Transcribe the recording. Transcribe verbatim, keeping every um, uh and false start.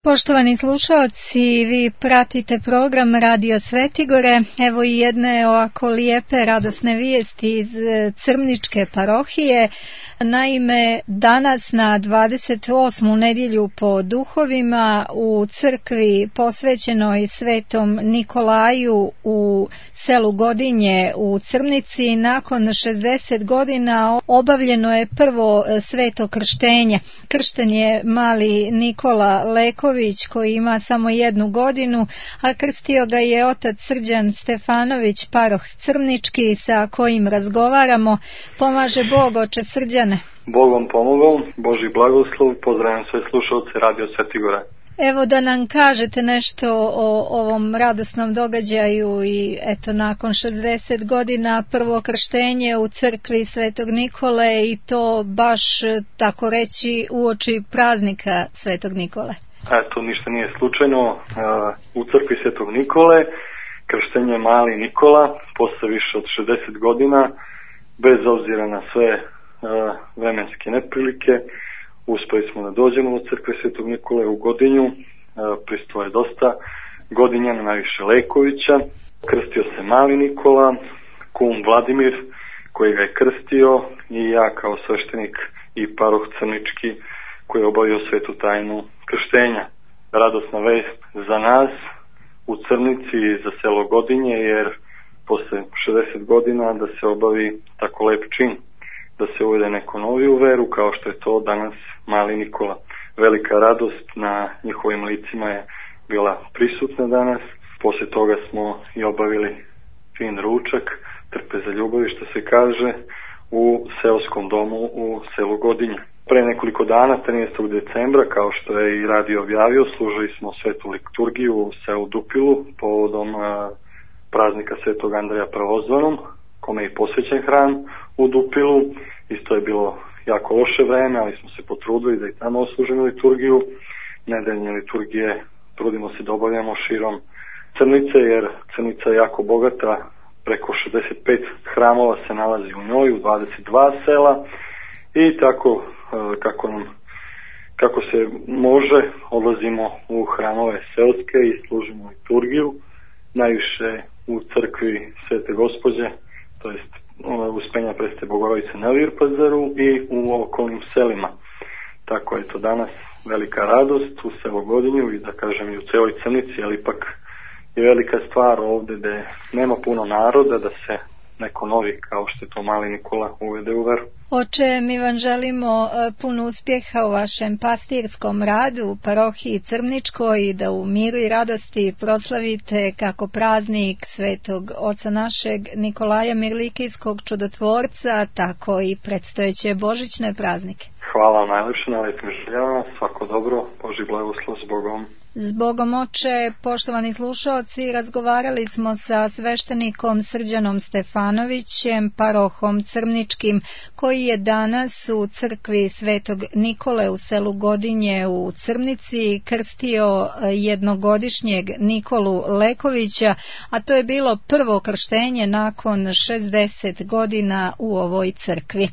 Poštovani slušaoci, vi pratite program Radio Svetigore. Evo i jedne ovako lijepe, radosne vijesti iz Crmničke parohije. Naime, danas na dvadeset osmu nedjelju po duhovima u crkvi posvećenoj Svetom Nikolaju u selu Godinje u Crmnici nakon šezdeset godina obavljeno je prvo sveto krštenje. Kršten je mali Nikola Leković koji ima samo jednu godinu, a krstio ga je otac Srđan Stefanović, paroh Crmnički, sa kojim razgovaramo. Pomaže Bog, oče Srđane. Bogom pomogao, Božji blagoslov, pozdravljam sve slušalce Radio Svetigora. Evo da nam kažete nešto o ovom radosnom događaju i eto nakon šezdeset godina prvo krštenje u crkvi Svetog Nikole i to baš tako reći uoči praznika Svetog Nikole. Eto, ništa nije slučajno. U crkvi Svetog Nikole krštenje mali Nikola posle više od šezdeset godina, bez obzira na sve vremenske neprilike, uspeli smo da dođemo do crkve Svetog Nikole u Godinju. Pristulo je dosta Godinjana, najviše Lekovića. Krstio se mali Nikola, kum Vladimir koji ga je krstio i ja kao sveštenik i paroh Crmnički koji je obavio svetu tajnu krštenja. Radosna vest za nas u Crmnici i za selo Godinje, jer posle šezdeset godina da se obavi tako lep čin, da se uvede neko novi u veru kao što je to danas mali Nikola. Velika radost na njihovim licima je bila prisutna danas. Posle toga smo i obavili fin ručak, trpe za ljubavi što se kaže, u seoskom domu u selu Godinje. Pre nekoliko dana, trinaestog decembra, kao što je i radio objavio, služili smo svetu liturgiju u selu Dupilu povodom a, praznika Svetog Andreja Prvozvanom, kome je posvećen hram u Dupilu. Isto je bilo jako loše vreme, ali smo se potrudili da i tamo oslužimo liturgiju. Nedeljne liturgije trudimo se da obavljamo širom Crnice, jer Crnica je jako bogata, preko šezdeset pet hramova se nalazi u njoj, u dvadeset dva sela i tako kako nam kako se može, odlazimo u hramove selske i služimo liturgiju, najviše u crkvi Svete Gospođe, to jest Uspenja Preste Bogorodice na Virpazaru i u okolnim selima. Tako je to danas velika radost u selu Godinju i da kažem i u celoj Crnici, ali ipak je velika stvar ovde da nema puno naroda, da se neko novi kao što je to mali Nikola uvede u veru. Oče, mi vam želimo puno uspjeha u vašem pastirskom radu u parohiji Crmničkoj i da u miru i radosti proslavite kako praznik Svetog Oca našeg Nikolaja Mirlikijskog čudotvorca, tako i predstojeće božićne praznike. Hvala vam najlepše na lepim željama, svako dobro, Božji blagoslov, s Bogom. S Bogom, oče. Poštovani slušaoci, razgovarali smo sa sveštenikom Srđanom Stefanovićem, parohom Crmničkim, koji je danas u crkvi Svetog Nikole u selu Godinje u Crmnici krstio jednogodišnjeg Nikolu Lekovića, a to je bilo prvo krštenje nakon šezdeset godina u ovoj crkvi.